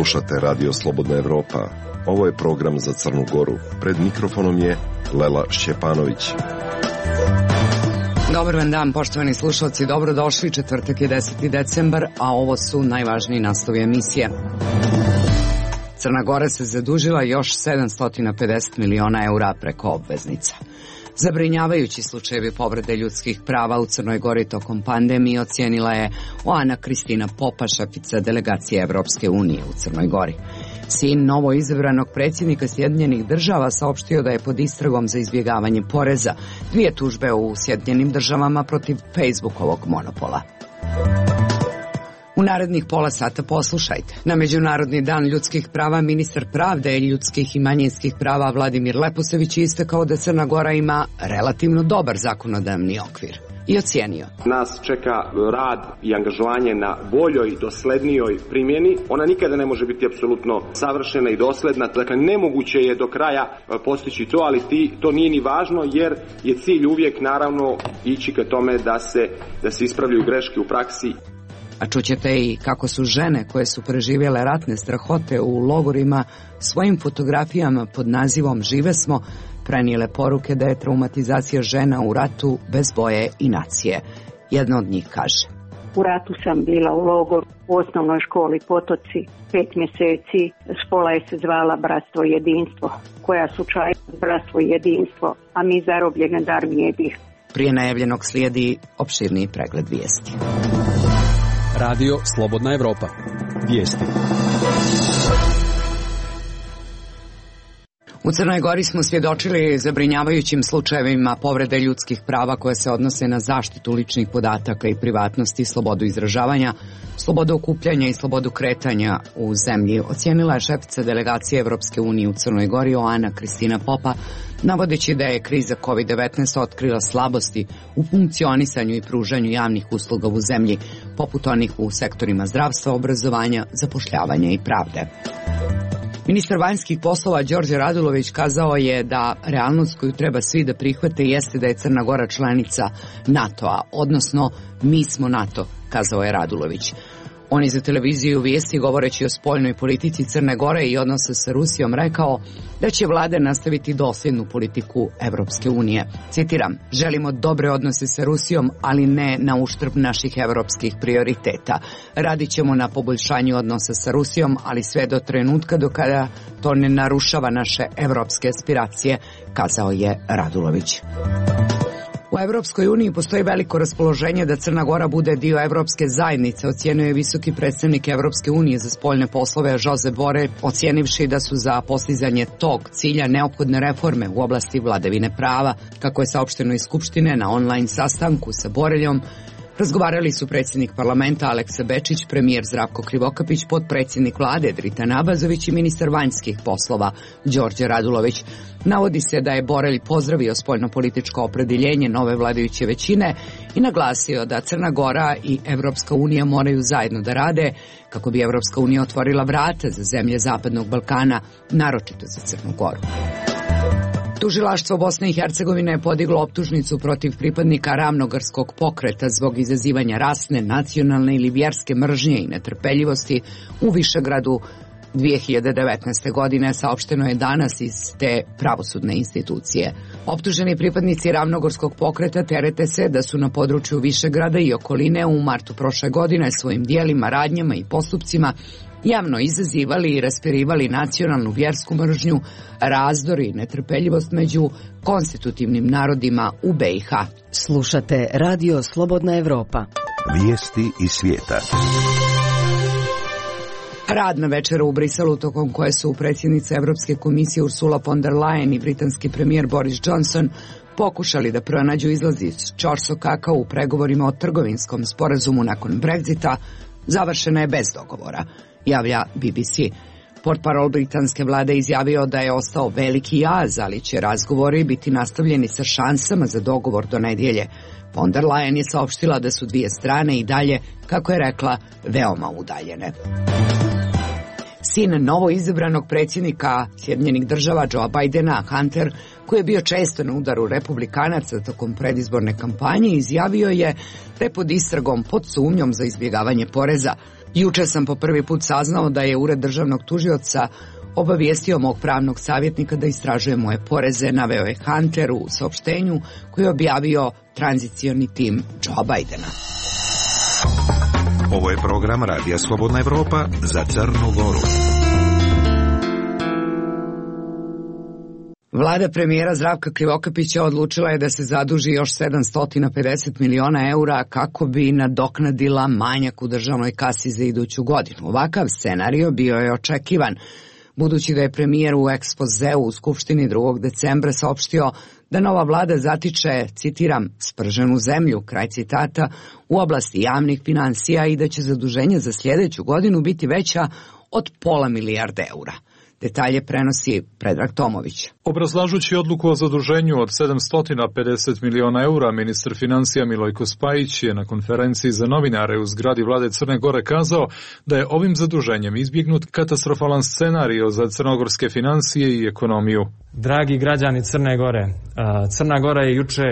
Slušate Radio Slobodna Evropa. Ovo je program za Crnu Goru. Pred mikrofonom je Lela Šćepanović. Dobar vam dan, poštovani slušalci, dobrodošli. Četvrtak je 10. decembar, a ovo su najvažniji naslovi emisije. Crna Gora se zadužila još 750 miliona eura preko obveznica. Zabrinjavajući slučajevi povrede ljudskih prava u Crnoj Gori tokom pandemije ocijenila je Oana Kristina Popa, šefica delegacije Evropske unije u Crnoj Gori. Sin novoizabranog predsjednika Sjedinjenih država saopštio da je pod istragom za izbjegavanje poreza, 2 tužbe u Sjedinjenim državama protiv Facebookovog monopola. U narednih pola sata poslušajte. Na Međunarodni dan ljudskih prava ministar pravde, ljudskih i manjinskih prava Vladimir Leposević je istakao da Crna Gora ima relativno dobar zakonodavni okvir i ocijenio: nas čeka rad i angažovanje na boljoj, doslednijoj primjeni. Ona nikada ne može biti apsolutno savršena i dosledna. Dakle, nemoguće je do kraja postići to, ali to nije ni važno, jer je cilj uvijek naravno ići ka tome da se ispravljaju greške u praksi. A čućete i kako su žene koje su preživjele ratne strahote u logorima svojim fotografijama pod nazivom Žive smo prenijele poruke da je traumatizacija žena u ratu bez boje i nacije. Jedna od njih kaže: u ratu sam bila u logoru u osnovnoj školi Potoci 5 mjeseci. Škola je se zvala Bratstvo i jedinstvo. Koja su čaj Bratstvo i jedinstvo, a mi zarobljene da armije bih. Prije najavljenog slijedi opširniji pregled vijesti. Radio Slobodna Evropa. Vijesti. U Crnoj Gori smo svjedočili zabrinjavajućim slučajevima povrede ljudskih prava koje se odnose na zaštitu ličnih podataka i privatnosti, slobodu izražavanja, slobodu okupljanja i slobodu kretanja u zemlji, ocijenila je šefica delegacije Evropske unije u Crnoj Gori Oana Kristina Popa, navodeći da je kriza COVID-19 otkrila slabosti u funkcionisanju i pružanju javnih usluga u zemlji, poput onih u sektorima zdravstva, obrazovanja, zapošljavanja i pravde. Ministar vanjskih poslova Đorđe Radulović kazao je da realnost koju treba svi da prihvate jeste da je Crna Gora članica NATO-a, odnosno mi smo NATO, kazao je Radulović. On je za televiziju Vijesti, govoreći o spoljnoj politici Crne Gore i odnosa sa Rusijom, rekao da će vlada nastaviti dosljednu politiku Evropske unije. Citiram: želimo dobre odnose sa Rusijom, ali ne na uštrb naših evropskih prioriteta. Radit ćemo na poboljšanju odnosa sa Rusijom, ali sve do trenutka do kada to ne narušava naše evropske aspiracije, kazao je Radulović. U Evropskoj uniji postoji veliko raspoloženje da Crna Gora bude dio Evropske zajednice, ocijenio je visoki predstavnik Evropske unije za spoljne poslove Josep Borrell, ocijenivši da su za postizanje tog cilja neophodne reforme u oblasti vladavine prava. Kako je saopšteno iz Skupštine, na online sastanku sa Borrellom razgovarali su predsjednik parlamenta Aleksa Bečić, premijer Zdravko Krivokapić, potpredsjednik vlade Dritan Abazović i ministar vanjskih poslova Đorđe Radulović. Navodi se da je Borrell pozdravio spoljnopolitičko opredjeljenje nove vladajuće većine i naglasio da Crna Gora i Evropska unija moraju zajedno da rade kako bi Evropska unija otvorila vrata za zemlje Zapadnog Balkana, naročito za Crnu Goru. Tužilaštvo Bosne i Hercegovine je podiglo optužnicu protiv pripadnika Ravnogorskog pokreta zbog izazivanja rasne, nacionalne ili vjerske mržnje i netrpeljivosti u Višegradu 2019. godine, saopšteno je danas iz te pravosudne institucije. Optuženi pripadnici Ravnogorskog pokreta terete se da su na području Višegrada i okoline u martu prošle godine svojim dijelima, radnjama i postupcima javno izazivali i raspirivali nacionalnu vjersku mržnju, razdor i netrpeljivost među konstitutivnim narodima u BiH. Slušate Radio Slobodna Evropa. Vijesti iz svijeta. Radna večera u Briselu, tokom koje su predsjednica Evropske komisije Ursula von der Leyen i britanski premijer Boris Johnson pokušali da pronađu izlaz iz ćorsokaka u pregovorima o trgovinskom sporazumu nakon Brexita, završena je bez dogovora, javlja BBC. Portparol britanske vlade izjavio da je ostao veliki jaz, ali će razgovori biti nastavljeni sa šansama za dogovor do nedjelje. Von der Leyen je saopštila da su dvije strane i dalje, kako je rekla, veoma udaljene. Sin novoizabranog predsjednika Sjedinjenih država Joea Bidena, Hunter, koji je bio često na udaru republikanaca tokom predizborne kampanje, izjavio je da je pod istragom pod sumnjom za izbjegavanje poreza. Juče sam po prvi put saznao da je Ured državnog tužioca obavijestio mog pravnog savjetnika da istražuje moje poreze, naveo je Hunter u saopštenju koji je objavio tranzicioni tim Joe Bidena. Ovo je program Radija Slobodna Evropa za Crnu Goru. Vlada premijera Zdravka Krivokapića odlučila je da se zaduži još 750 miliona eura kako bi nadoknadila manjak u državnoj kasi za iduću godinu. Ovakav scenario bio je očekivan, budući da je premijer u ekspozeu u Skupštini 2. decembra saopštio da nova vlada zatiče, citiram, sprženu zemlju, kraj citata, u oblasti javnih finansija i da će zaduženje za sljedeću godinu biti veća od £500 milijarde eura. Detalje prenosi Predrag Tomović. Obrazlažući odluku o zaduženju od 750 miliona eura, ministar financija Milojko Spajić je na konferenciji za novinare u zgradi vlade Crne Gore kazao da je ovim zaduženjem izbjegnut katastrofalan scenario za crnogorske financije i ekonomiju. Dragi građani Crne Gore, Crna Gora je juče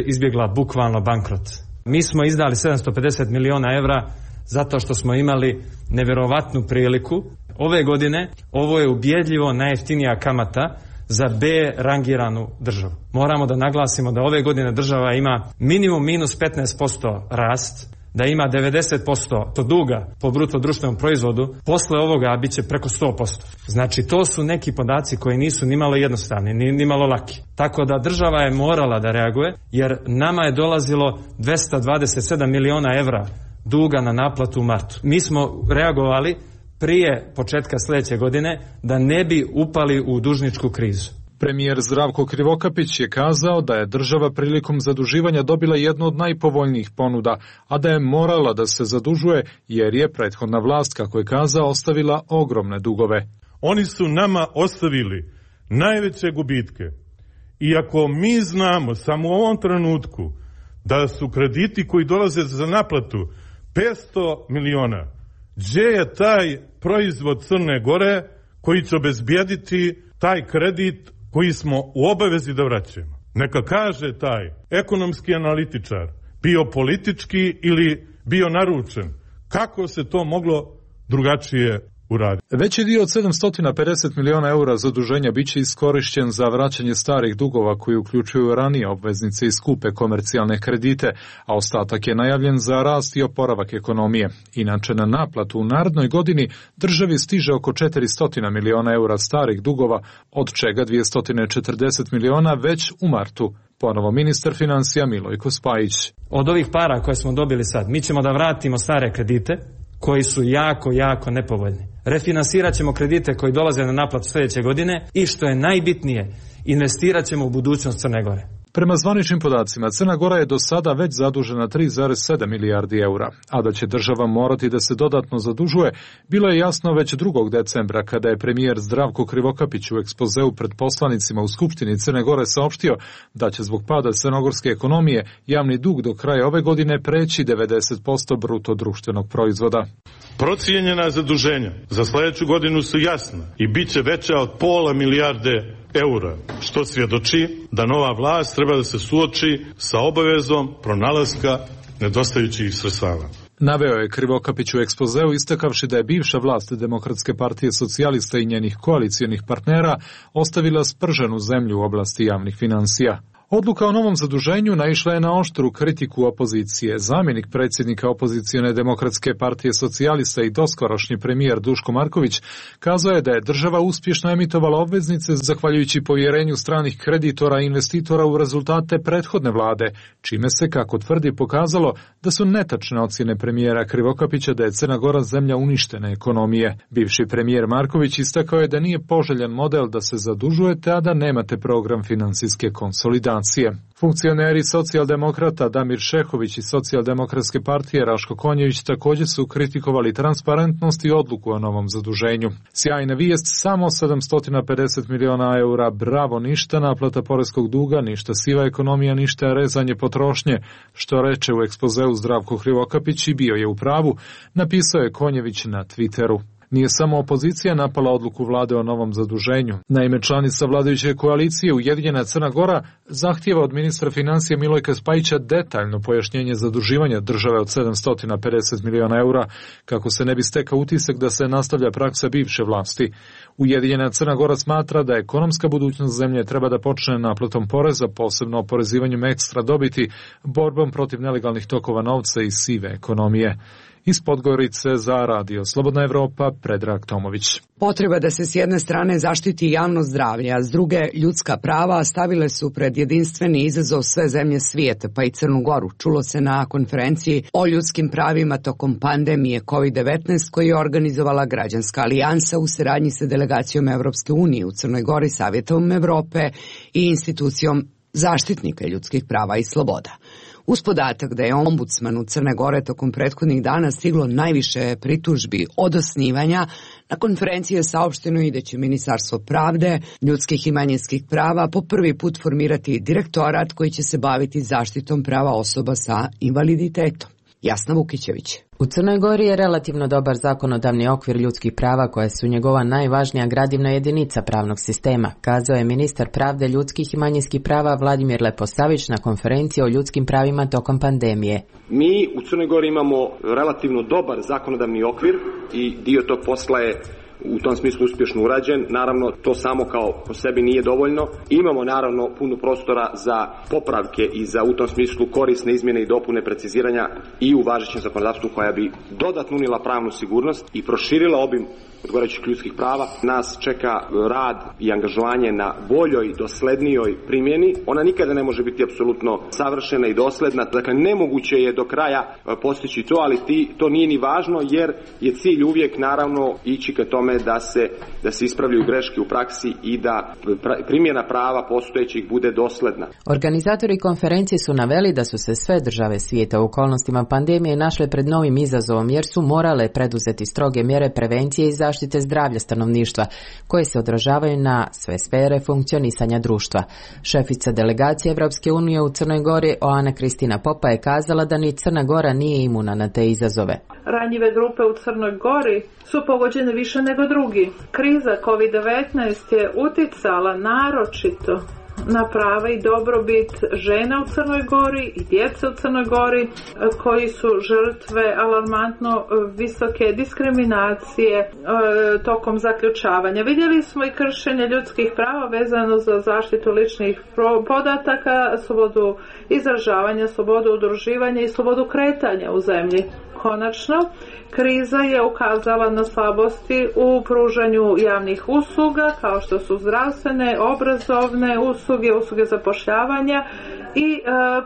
izbjegla bukvalno bankrot. Mi smo izdali 750 miliona evra zato što smo imali nevjerovatnu priliku. Ove godine ovo je ubjedljivo najjeftinija kamata za B rangiranu državu. Moramo da naglasimo da ove godine država ima minimum minus 15% rast, da ima 90% duga po bruto društvenom proizvodu, posle ovoga bit će preko 100%. Znači to su neki podaci koji nisu nimalo jednostavni, nimalo laki. Tako da država je morala da reaguje jer nama je dolazilo 227 miliona evra duga na naplatu u martu. Mi smo reagovali prije početka sljedeće godine da ne bi upali u dužničku krizu. Premijer Zdravko Krivokapić je kazao da je država prilikom zaduživanja dobila jednu od najpovoljnijih ponuda, a da je morala da se zadužuje jer je prethodna vlast, kako je kazao, ostavila ogromne dugove. Oni su nama ostavili najveće gubitke. Iako mi znamo samo u ovom trenutku da su krediti koji dolaze za naplatu 500 miliona, gdje je taj proizvod Crne Gore koji će obezbijediti taj kredit koji smo u obavezi da vraćamo? Neka kaže taj ekonomski analitičar, bio politički ili bio naručen, kako se to moglo drugačije uraditi. Veći dio od 750 miliona eura zaduženja bit će iskorišćen za vraćanje starih dugova koji uključuju ranije obveznice i skupe komercijalne kredite, a ostatak je najavljen za rast i oporavak ekonomije. Inače, na naplatu u narednoj godini državi stiže oko 400 miliona eura starih dugova, od čega 240 miliona već u martu. Ponovo ministar financija Milojko Spajić. Od ovih para koje smo dobili sad, mi ćemo da vratimo stare kredite koji su jako nepovoljni. Refinansirat ćemo kredite koji dolaze na naplatu sljedeće godine i što je najbitnije, investirat ćemo u budućnost Crne Gore. Prema zvaničnim podacima, Crna Gora je do sada već zadužena 3,7 milijardi eura, a da će država morati da se dodatno zadužuje, bilo je jasno već 2. decembra kada je premijer Zdravko Krivokapić u ekspozeu pred poslanicima u Skupštini Crne Gore saopštio da će zbog pada crnogorske ekonomije javni dug do kraja ove godine preći 90% bruto društvenog proizvoda. Procijenjena zaduženja za sljedeću godinu su jasna i bit će veća od £500 milijarde eura, što svjedoči da nova vlast treba da se suoči sa obavezom pronalaska nedostajućih sredstava. Naveo je Krivokapić u ekspozeu istakavši da je bivša vlast Demokratske partije socijalista i njenih koalicijonih partnera ostavila sprženu zemlju u oblasti javnih finansija. Odluka o novom zaduženju naišla je na oštru kritiku opozicije. Zamjenik predsjednika opozicione Demokratske partije socijalista i doskorašnji premijer Duško Marković kazao je da je država uspješno emitovala obveznice zahvaljujući povjerenju stranih kreditora i investitora u rezultate prethodne vlade, čime se, kako tvrdi, pokazalo da su netačne ocjene premijera Krivokapića da je Crna Gora zemlja uništene ekonomije. Bivši premijer Marković istakao je da nije poželjan model da se zadužujete, a da nemate program financijske konsolidacije. Funkcioneri socijaldemokrata Damir Šehović i socijaldemokratske partije Raško Konjević također su kritikovali transparentnost i odluku o novom zaduženju. Sjajna vijest, samo 750 miliona eura, bravo, ništa naplata poreskog duga, ništa siva ekonomija, ništa rezanje potrošnje, što reče u ekspozeu Zdravko Krivokapić i bio je u pravu, napisao je Konjević na Twitteru. Nije samo opozicija napala odluku vlade o novom zaduženju. Naime, članica vladajuće koalicije Ujedinjena Crna Gora zahtijeva od ministra financija Milojka Spajića detaljno pojašnjenje zaduživanja države od 750 miliona eura, kako se ne bi stekao utisak da se nastavlja praksa bivše vlasti. Ujedinjena Crna Gora smatra da ekonomska budućnost zemlje treba da počne naplatom poreza, posebno oporezivanjem ekstra dobiti, borbom protiv nelegalnih tokova novca i sive ekonomije. Iz Podgorice za Radio Slobodna Evropa, Predrag Tomović. Potreba da se s jedne strane zaštiti javno zdravlje, a s druge ljudska prava stavile su pred jedinstveni izazov sve zemlje svijeta, pa i Crnu Goru. Čulo se na konferenciji o ljudskim pravima tokom pandemije COVID-19 koju je organizovala Građanska alijansa u saradnji sa delegacijom Evropske unije u Crnoj Gori, Savjetom Evrope i institucijom zaštitnika ljudskih prava i sloboda. Uz podatak da je ombudsmanu Crne Gore tokom prethodnih dana stiglo najviše pritužbi od osnivanja, na konferenciji je saopšteno i da će Ministarstvo pravde, ljudskih i manjinskih prava po prvi put formirati direktorat koji će se baviti zaštitom prava osoba sa invaliditetom. Jasna Vukićević. U Crnoj Gori je relativno dobar zakonodavni okvir ljudskih prava koje su njegova najvažnija gradivna jedinica pravnog sistema, kazao je ministar pravde, ljudskih i manjinskih prava Vladimir Leposavić na konferenciji o ljudskim pravima tokom pandemije. Mi u Crnoj Gori imamo relativno dobar zakonodavni okvir i dio tog posla je u tom smislu uspješno urađen. Naravno, to samo kao po sebi nije dovoljno. Imamo naravno puno prostora za popravke i za u tom smislu korisne izmjene i dopune preciziranja i u važećem zakonodavstvu koja bi dodatno unijela pravnu sigurnost i proširila obim odgovarajućih ljudskih prava. Nas čeka rad i angažovanje na boljoj, doslednijoj primjeni. Ona nikada ne može biti apsolutno savršena i dosledna. Dakle, nemoguće je do kraja postići to, ali to nije ni važno jer je cilj uvijek naravno ići ka tome da se ispravljaju greške u praksi i da primjena prava postojećih bude dosledna. Organizatori konferencije su naveli da su se sve države svijeta u okolnostima pandemije našle pred novim izazovom jer su morale preduzeti stroge mjere prevencije i zaštite zdravlja stanovništva koje se odražavaju na sve sfere funkcionisanja društva. Šefica delegacije Evropske unije u Crnoj Gori Oana Kristina Popa je kazala da ni Crna Gora nije imuna na te izazove. Ranjive grupe u Crnoj Gori su pogođene više nego drugi. Kriza COVID-19 je uticala naročito na prava i dobrobit žena u Crnoj Gori i djece u Crnoj Gori koji su žrtve alarmantno visoke diskriminacije tokom zaključavanja. Vidjeli smo i kršenje ljudskih prava vezano za zaštitu ličnih podataka, slobodu izražavanja, slobodu udruživanja i slobodu kretanja u zemlji. Konačno, kriza je ukazala na slabosti u pružanju javnih usluga kao što su zdravstvene, obrazovne usluge zapošljavanja i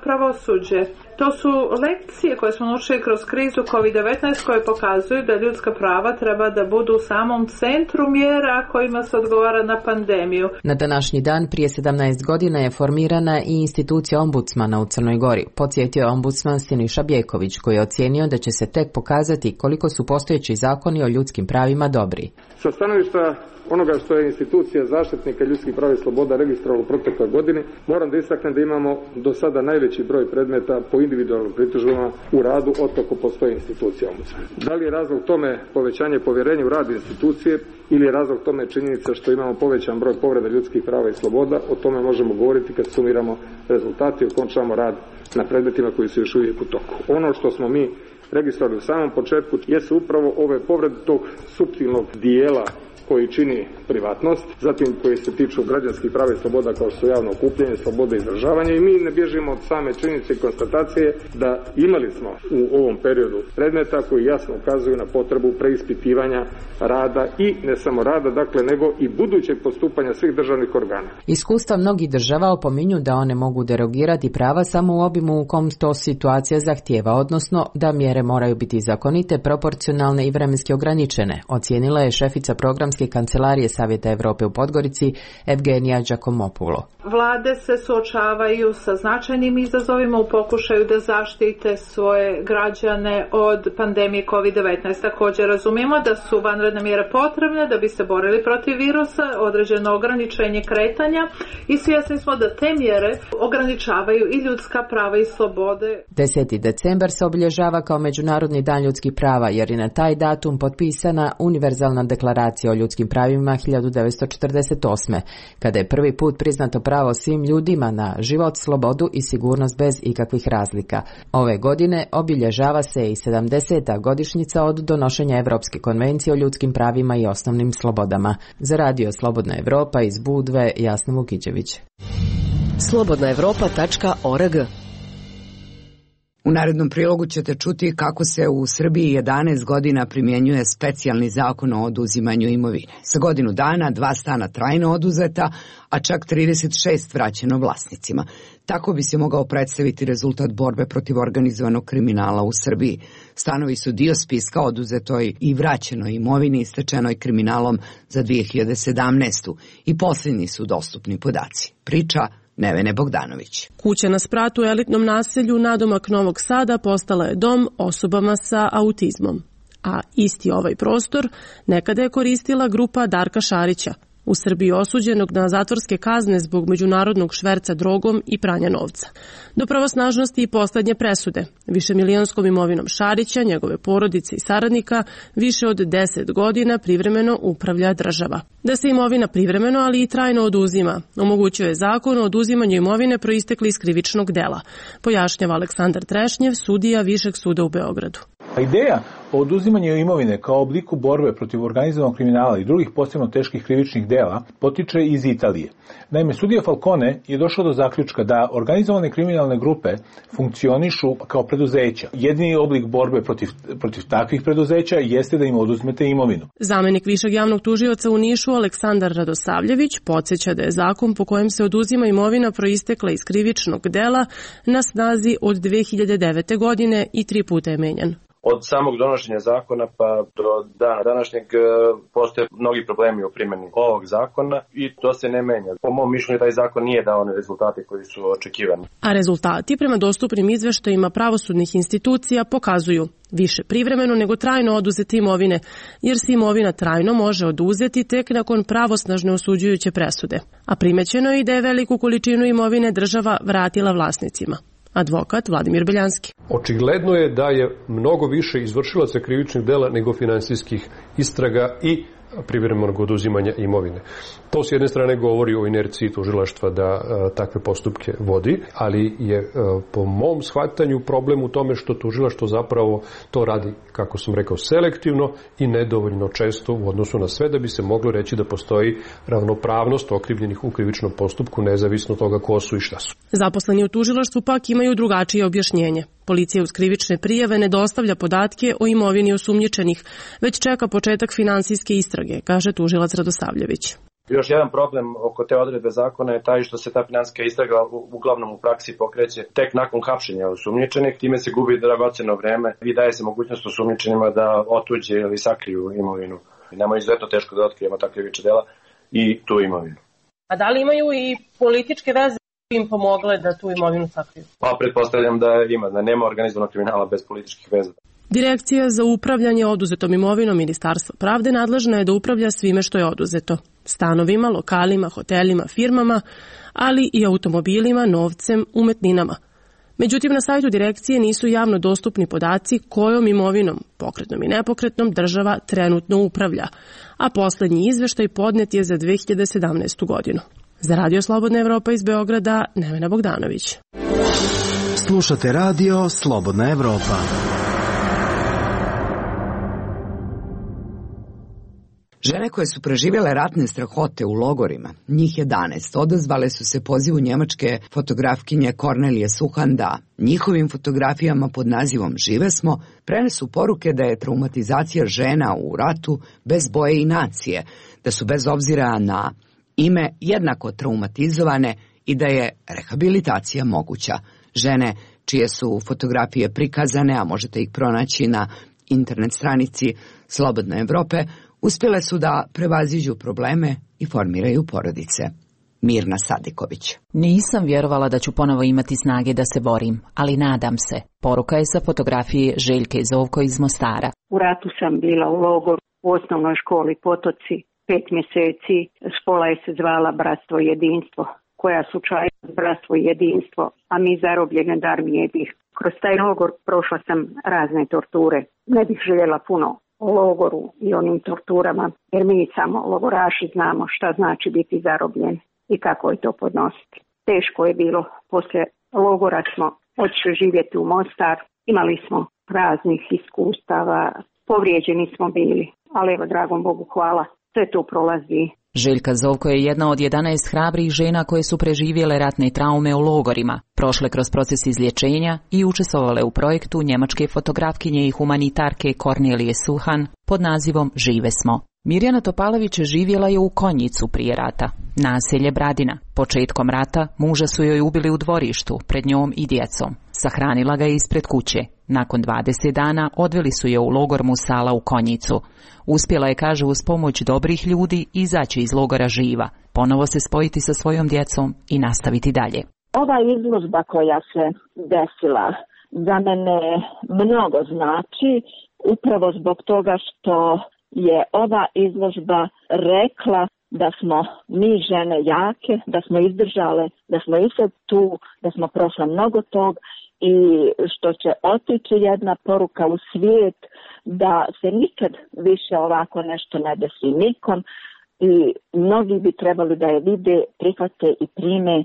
pravosuđe. To su lekcije koje smo naučili kroz krizu COVID-19 koje pokazuju da ljudska prava treba da budu u samom centru mjera kojima se odgovara na pandemiju. Na današnji dan prije 17 godina je formirana i institucija ombudsmana u Crnoj Gori. Podsjetio je ombudsman Siniša Bjeković koji je ocijenio da će se tek pokazati koliko su postojeći zakoni o ljudskim pravima dobri. Sa stanovišta onoga što je institucija zaštitnika ljudskih prava i sloboda registrovala u protekloj godini, moram da istaknem da imamo do sada najveći broj predmeta po individualnim pritužbama u radu otkako postoji institucija ombudsmana. Da li je razlog tome povećanje povjerenja u rad institucije ili je razlog tome činjenica što imamo povećan broj povreda ljudskih prava i sloboda, o tome možemo govoriti kad sumiramo rezultate i okončamo rad na predmetima koji su još uvijek u toku. Ono što smo mi registrovali u samom početku jesu upravo ove povrede tog suptilnog dijela koji čini privatnost, zatim koji se tiču građanskih prava i sloboda kao što su javno okupljanje, sloboda izražavanja i mi ne bježimo od same činjenice i konstatacije da imali smo u ovom periodu predmeta koji jasno ukazuju na potrebu preispitivanja rada i ne samo rada, dakle, nego i budućeg postupanja svih državnih organa. Iskustva mnogih država opominju da one mogu derogirati prava samo u obimu u kom to situacija zahtijeva, odnosno da mjere moraju biti zakonite, proporcionalne i vremenski ograničene, ocijenila je šefica programske Predsjednike Kancelarije Savjeta Europe u Podgorici Evgenija Giacomopulo. Vlade se suočavaju sa značajnim izazovima u pokušaju da zaštite svoje građane od pandemije COVID-19. Također razumijemo da su vanredne mjere potrebne da bi se borili protiv virusa, određeno ograničenje kretanja i svjesni smo da te mjere ograničavaju i ljudska prava i slobode. 10. decembar se obilježava kao Međunarodni dan ljudskih prava jer je na taj datum potpisana Univerzalna deklaracija o ljudskim pravima 1948. kada je prvi put priznato pravo svim ljudima na život, slobodu i sigurnost bez ikakvih razlika. Ove godine obilježava se i 70. godišnjica od donošenja Europske konvencije o ljudskim pravima i osnovnim slobodama. Za Radio Slobodna Evropa iz Budve, Jasna Vukićević. slobodnaevropa.org. U narednom prilogu ćete čuti kako se u Srbiji 11 godina primjenjuje specijalni zakon o oduzimanju imovine. Sa godinu dana 2 stana trajno oduzeta, a čak 36 vraćeno vlasnicima. Tako bi se mogao predstaviti rezultat borbe protiv organizovanog kriminala u Srbiji. Stanovi su dio spiska oduzetoj i vraćenoj imovini stečenoj kriminalom za 2017. i posljednji su dostupni podaci. Priča Nevene Bogdanović. Kuća na spratu u elitnom naselju nadomak Novog Sada postala je dom osobama sa autizmom. A isti ovaj prostor nekada je koristila grupa Darka Šarića, u Srbiji osuđenog na zatvorske kazne zbog međunarodnog šverca drogom i pranja novca. Do pravosnažnosti i poslednje presude, višemilionskom imovinom Šarića, njegove porodice i saradnika, više od 10 godina privremeno upravlja država. Da se imovina privremeno, ali i trajno oduzima, omogućuje zakon o oduzimanju imovine proistekli iz krivičnog dela, pojašnjava Aleksandar Trešnjev, sudija Višeg suda u Beogradu. Ideja o oduzimanju imovine kao obliku borbe protiv organizovanog kriminala i drugih posebno teških krivičnih dela potiče iz Italije. Naime, sudija Falcone je došao do zaključka da organizovane kriminalne grupe funkcionišu kao preduzeća. Jedini oblik borbe protiv takvih preduzeća jeste da im oduzmete imovinu. Zamenik višeg javnog tužioca u Nišu Aleksandar Radosavljević podsjeća da je zakon po kojem se oduzima imovina proistekla iz krivičnog dela na snazi od 2009. godine i 3 puta je menjan. Od samog donošenja zakona pa do dana današnjeg postoje mnogi problemi u primjeni ovog zakona i to se ne menja. Po mom mišljenju taj zakon nije dao one rezultate koji su očekivani. A rezultati prema dostupnim izveštajima pravosudnih institucija pokazuju više privremeno nego trajno oduzete imovine, jer se imovina trajno može oduzeti tek nakon pravosnažne osuđujuće presude. A primećeno je i da je veliku količinu imovine država vratila vlasnicima. Advokat Vladimir Beljanski. Očigledno je da je mnogo više izvršilaca krivičnih dela nego finansijskih istraga i privremenog oduzimanja imovine. To s jedne strane govori o inerciji tužilaštva da takve postupke vodi, ali je po mom shvatanju problem u tome što tužilaštvo zapravo to radi, kako sam rekao, selektivno i nedovoljno često u odnosu na sve da bi se moglo reći da postoji ravnopravnost okrivljenih u krivičnom postupku nezavisno od toga ko su i šta su. Zaposleni u tužilaštvu pak imaju drugačije objašnjenje. Policija uz krivične prijave ne dostavlja podatke o imovini osumnjičenih, već čeka početak finansijske istrage, kaže tužilac Radosavljević. Još jedan problem oko te odredbe zakona je taj što se ta finansijska istraga uglavnom u praksi pokreće tek nakon hapšenja osumnjičenih, time se gubi dragoceno vreme i daje se mogućnost osumnjičenima da otuđe ili sakriju imovinu. Nama je izuzetno teško da otkrijemo takve krivična dela i tu imovinu. A da li imaju i političke veze im pomogle da tu imovinu sakriju? Pa pretpostavljam da ima, da nema organizovanog kriminala bez političkih veza. Direkcija za upravljanje oduzetom imovinom Ministarstva pravde nadležna je da upravlja svime što je oduzeto. Stanovima, lokalima, hotelima, firmama, ali i automobilima, novcem, umetninama. Međutim, na sajtu direkcije nisu javno dostupni podaci kojom imovinom, pokretnom i nepokretnom, država trenutno upravlja, a poslednji izveštaj podnet je za 2017. godinu. Za Radio Slobodna Evropa iz Beograda, Nevena Bogdanović. Slušate Radio Slobodna Evropa. Žene koje su preživjele ratne strahote u logorima, njih 11, odazvale su se pozivu njemačke fotografkinje Kornelije Suhanda. Njihovim fotografijama pod nazivom Žive smo prenesu poruke da je traumatizacija žena u ratu bez boje i nacije, da su bez obzira na ime jednako traumatizovane i da je rehabilitacija moguća. Žene čije su fotografije prikazane, a možete ih pronaći na internet stranici Slobodne Evrope, Uspjele su da prevaziđu probleme i formiraju porodice. Mirna Sadiković. Nisam vjerovala da ću ponovo imati snage da se borim, ali nadam se. Poruka je sa fotografije Željke Zovko iz Mostara. U ratu sam bila u logoru u osnovnoj školi Potoci 5 mjeseci. Škola je se zvala Bratstvo i jedinstvo, koja su čajila bratstvo i jedinstvo, a mi zarobljene od armije bih. Kroz taj logor prošla sam razne torture. Ne bih željela puno o logoru i onim torturama, jer mi samo logoraši znamo šta znači biti zarobljen i kako je to podnositi. Teško je bilo. Poslije logora smo otišli živjeti u Mostar. Imali smo raznih iskustava, povrijeđeni smo bili, ali evo, dragom Bogu hvala, sve to prolazi. Željka Zovko je jedna od 11 hrabrih žena koje su preživjele ratne traume u logorima, prošle kroz proces izlječenja i učestvovale u projektu njemačke fotografkinje i humanitarke Kornelije Suhan pod nazivom Žive smo. Mirjana Topalović živjela je u Konjicu prije rata, naselje Bradina. Početkom rata muža su joj ubili u dvorištu, pred njom i djecom. Sahranila ga je ispred kuće. Nakon 20 dana odveli su je u logor Musala u Konjicu. Uspjela je, kaže, uz pomoć dobrih ljudi izaći iz logora živa, ponovo se spojiti sa svojom djecom i nastaviti dalje. Ova izložba koja se desila za mene mnogo znači, upravo zbog toga što je ova izložba rekla da smo mi žene jake, da smo izdržale, da smo i sad tu, da smo prošle mnogo tog i što će otići jedna poruka u svijet da se nikad više ovako nešto ne desi nikom i mnogi bi trebali da je vide, prihvate i prime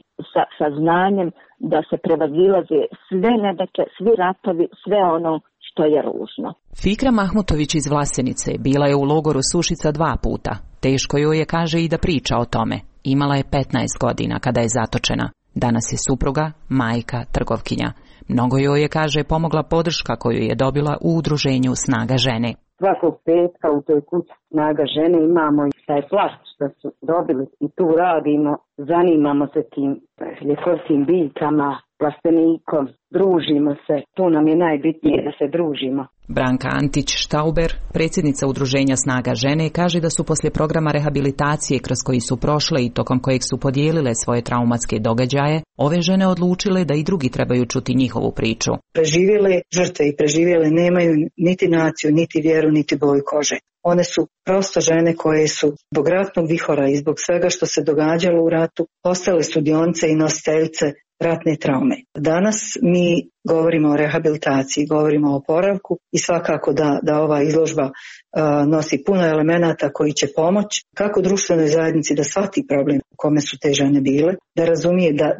sa znanjem da se prevazilaze sve nedaće, svi ratovi, sve ono što je ružno. Fikra Mahmutović iz Vlasenice bila je u logoru Sušica 2 puta. Teško joj je, kaže, i da priča o tome. Imala je 15 godina kada je zatočena. Danas je supruga, majka, trgovkinja. Mnogo joj je, kaže, pomogla podrška koju je dobila u udruženju Snaga žene. Svakog petka u toj kući Snaga žene imamo i taj plast što su dobili i tu radimo, zanimamo se tim ljekovskim biljkama, plastenikom, družimo se, tu nam je najbitnije da se družimo. Branka Antić-Štauber, predsjednica udruženja Snaga žene, kaže da su poslije programa rehabilitacije kroz koji su prošle i tokom kojeg su podijelile svoje traumatske događaje, ove žene odlučile da i drugi trebaju čuti njihovu priču. Preživjele žrtve i preživjele nemaju niti naciju, niti vjeru, niti boju kože. One su prosto žene koje su zbog ratnog vihora i zbog svega što se događalo u ratu postale sudionce i nositeljice ratne traume. Danas mi govorimo o rehabilitaciji, govorimo o oporavku i svakako da ova izložba nosi puno elemenata koji će pomoći kako društvenoj zajednici da shvati problem u kome su te žene bile, da razumije, da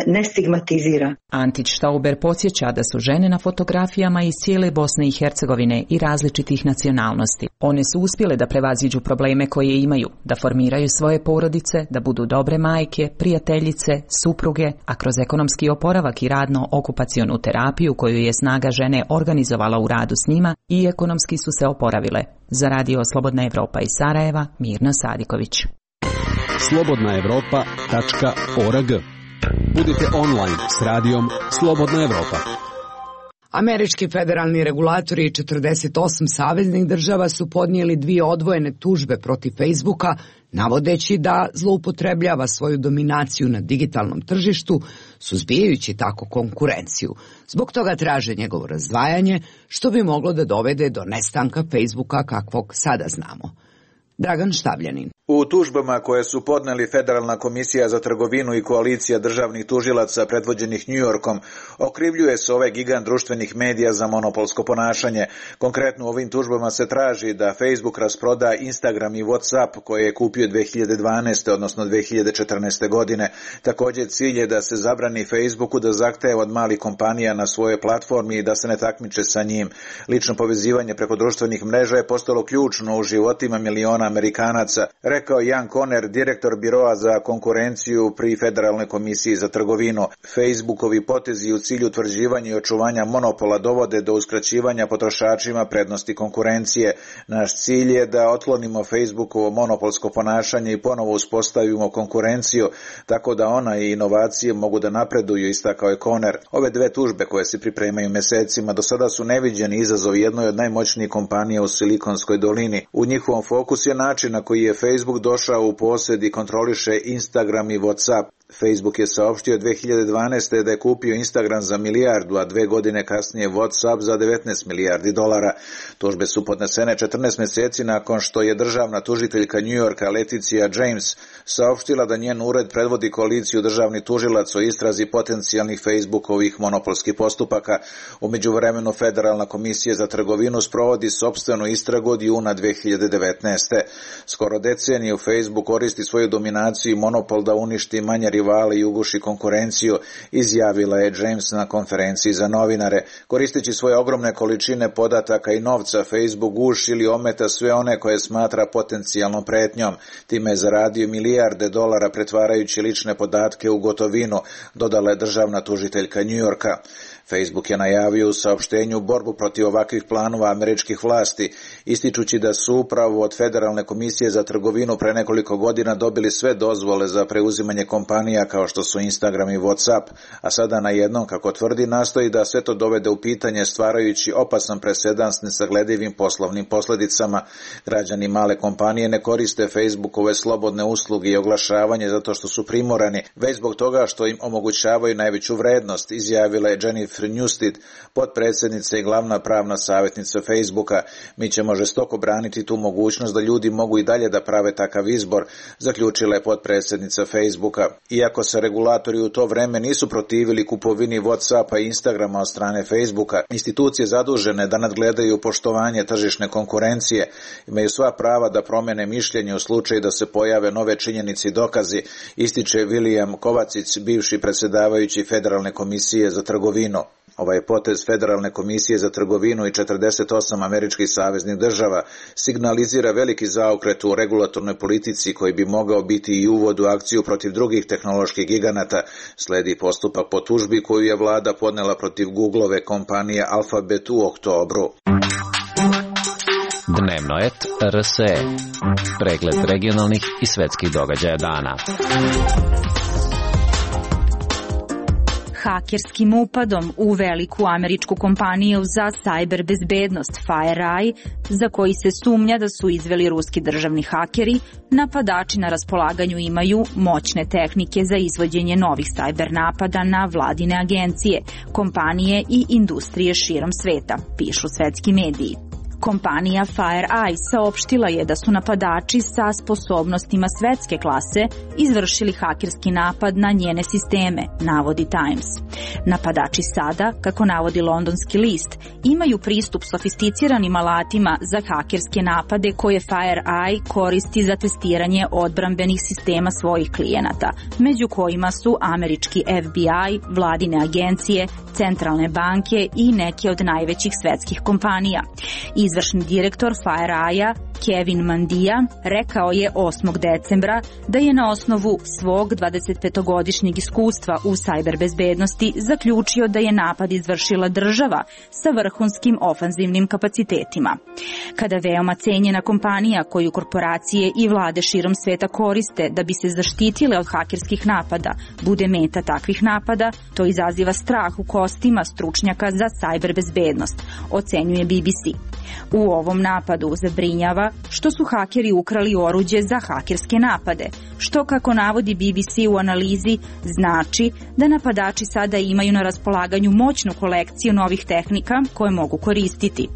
ne stigmatizira. Antić-Štauber podsjeća da su žene na fotografijama iz cijele Bosne i Hercegovine i različitih nacionalnosti. One su uspjele da prevaziđu probleme koje imaju, da formiraju svoje porodice, da budu dobre majke, prijateljice, supruge, a kroz ekonomski oporavak i radno-okupacionu terapiju koju je Snaga žene organizovala u radu s njima i ekonomski su se oporavile. Za radio Slobodna Evropa iz Sarajeva, Mirna Sadiković. slobodnaevropa.org. Budite online s radijom Slobodna Evropa. Američki federalni regulatori i 48 saveznih država su podnijeli 2 odvojene tužbe protiv Facebooka, navodeći da zloupotrebljava svoju dominaciju na digitalnom tržištu, suzbijajući tako konkurenciju. Zbog toga traže njegovo razdvajanje, što bi moglo da dovede do nestanka Facebooka kakvog sada znamo. Dragan Štavljanin. U tužbama koje su podneli Federalna komisija za trgovinu i koalicija državnih tužilaca predvođenih New Yorkom, okrivljuje se ovaj gigant društvenih medija za monopolsko ponašanje. Konkretno u ovim tužbama se traži da Facebook rasproda Instagram i WhatsApp koje je kupio 2012. odnosno 2014. godine. Također cilj je da se zabrani Facebooku da zahteva od malih kompanija na svojoj platformi i da se ne takmiče sa njim. Lično povezivanje preko društvenih mreža je postalo ključno u životima miliona Amerikanaca. rekao Jan Koner, direktor Biroa za konkurenciju pri Federalnoj komisiji za trgovinu. Facebookovi potezi u cilju utvrđivanja i očuvanja monopola dovode do uskraćivanja potrošačima prednosti konkurencije. Naš cilj je da otklonimo Facebookovo monopolsko ponašanje i ponovo uspostavimo konkurenciju, tako da ona i inovacije mogu da napreduju, istakao je Koner. Ove dve tužbe koje se pripremaju mesecima do sada su neviđeni izazov jednoj od najmoćnijih kompanija u Silikonskoj dolini. U njihovom fokusu je način na koji je Facebook došao u posjed i kontroliše Instagram i WhatsApp. Facebook je saopštio 2012. da je kupio Instagram za milijardu, a 2 godine kasnije WhatsApp za 19 milijardi dolara. Tužbe su podnesene 14 mjeseci nakon što je državna tužiteljka New Yorka Leticia James saopštila da njen ured predvodi koaliciju državnih tužilaca o istrazi potencijalnih Facebookovih monopolskih postupaka. U međuvremenu Federalna komisija za trgovinu sprovodi sopstvenu istragu od juna 2019. Skoro deceniju Facebook koristi svoju dominaciju i monopol da uništi manje rivale i uguši konkurenciju, izjavila je James na konferenciji za novinare. Koristeći svoje ogromne količine podataka i novca, Facebook guši ili ometa sve one koje smatra potencijalnom pretnjom. Time je zaradio milijarde dolara pretvarajući lične podatke u gotovinu, dodala je državna tužiteljka New Yorka. Facebook je najavio u saopštenju borbu protiv ovakvih planova američkih vlasti, ističući da su upravo od Federalne komisije za trgovinu pre nekoliko godina dobili sve dozvole za preuzimanje kompanija kao što su Instagram i WhatsApp, a sada najednom, kako tvrdi, nastoji da sve to dovede u pitanje stvarajući opasan presedan s nesagledivim poslovnim posljedicama. Građani male kompanije ne koriste Facebookove slobodne usluge i oglašavanje zato što su primorani, već zbog toga što im omogućavaju najveću vrednost, izjavila je Jennifer Newstead, potpredsjednica i glavna pravna savjetnica Facebooka. Mi ćemo žestoko braniti tu mogućnost da ljudi mogu i dalje da prave takav izbor, zaključila je potpredsjednica Facebooka. Iako se regulatori u to vreme nisu protivili kupovini WhatsAppa i Instagrama od strane Facebooka, institucije zadužene da nadgledaju poštovanje tržišne konkurencije imaju sva prava da promene mišljenje u slučaju da se pojave nove činjenice i dokazi, ističe William Kovacic, bivši predsjedavajući Federalne komisije za trgovinu. Ovaj potez Federalne komisije za trgovinu i 48 američkih saveznih država signalizira veliki zaokret u regulatornoj politici koji bi mogao biti i uvod u akciju protiv drugih tehnoloških giganata. Sledi postupak po tužbi koju je vlada podnela protiv Googleove kompanije Alphabet u oktobru. Dnevno et RSE. Pregled regionalnih i svetskih događaja dana. Hakerskim upadom u veliku američku kompaniju za sajber bezbednost FireEye, za koji se sumnja da su izveli ruski državni hakeri, napadači na raspolaganju imaju moćne tehnike za izvođenje novih sajber napada na vladine agencije, kompanije i industrije širom sveta, pišu svetski mediji. Kompanija FireEye saopštila je da su napadači sa sposobnostima svetske klase izvršili hakerski napad na njene sisteme, navodi Times. Napadači sada, kako navodi londonski list, imaju pristup sofisticiranim alatima za hakerske napade koje FireEye koristi za testiranje odbrambenih sistema svojih klijenata, među kojima su američki FBI, vladine agencije, centralne banke i neke od najvećih svetskih kompanija. Izvršni direktor FireEye, Kevin Mandia, rekao je 8. decembra da je na osnovu svog 25-godišnjeg iskustva u sajber bezbednosti zaključio da je napad izvršila država sa vrhunskim ofanzivnim kapacitetima. Kada veoma cenjena kompanija koju korporacije i vlade širom sveta koriste da bi se zaštitile od hakerskih napada bude meta takvih napada, to izaziva strah u kostima stručnjaka za sajber bezbednost, ocenjuje BBC. U ovom napadu zabrinjava što su hakeri ukrali oruđe za hakerske napade, što, kako navodi BBC u analizi, znači da napadači sada imaju na raspolaganju moćnu kolekciju novih tehnika koje mogu koristiti.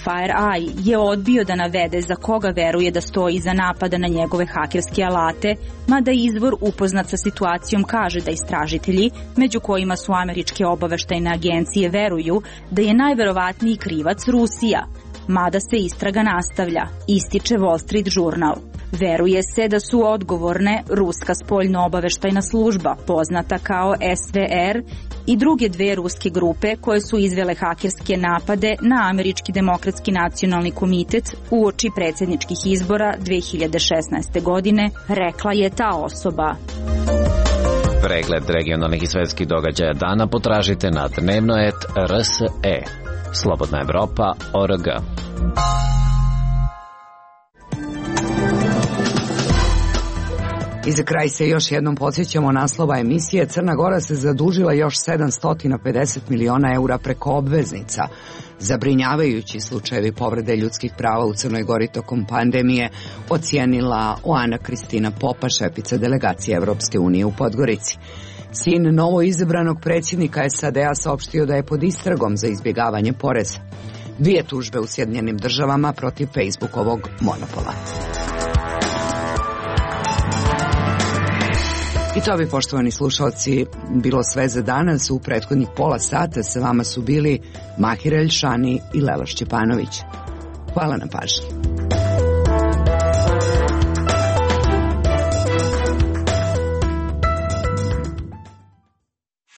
FireEye je odbio da navede za koga veruje da stoji iza napada na njegove hakerske alate, mada izvor upoznat sa situacijom kaže da istražitelji, među kojima su američke obaveštajne agencije, veruju da je najverovatniji krivac Rusija, mada se istraga nastavlja, ističe Wall Street Journal. Veruje se da su odgovorne ruska spoljno-obaveštajna služba, poznata kao SVR, i druge dve ruske grupe koje su izvele hakerske napade na Američki demokratski nacionalni komitet uoči predsjedničkih izbora 2016. godine, rekla je ta osoba. Pregled regionalnih i svetskih događaja dana potražite na dnevnoet.rse. Slobodna Evropa.org. I za kraj se još jednom podsjećamo naslova emisije. Crna Gora se zadužila još 750 miliona eura preko obveznica. Zabrinjavajući slučajevi povrede ljudskih prava u Crnoj Gori tokom pandemije ocijenila Oana Kristina Popa, šefica delegacije Evropske unije u Podgorici. Sin novo izabranog predsjednika SAD-a saopštio da je pod istragom za izbjegavanje poreza. 2 tužbe u Sjedinjenim Državama protiv Facebookovog monopola. I to bi, poštovani slušalci, bilo sve za danas. U prethodnih pola sata sa vama su bili Mahir Elšani i Lelo Šćepanović. Hvala na pažnji.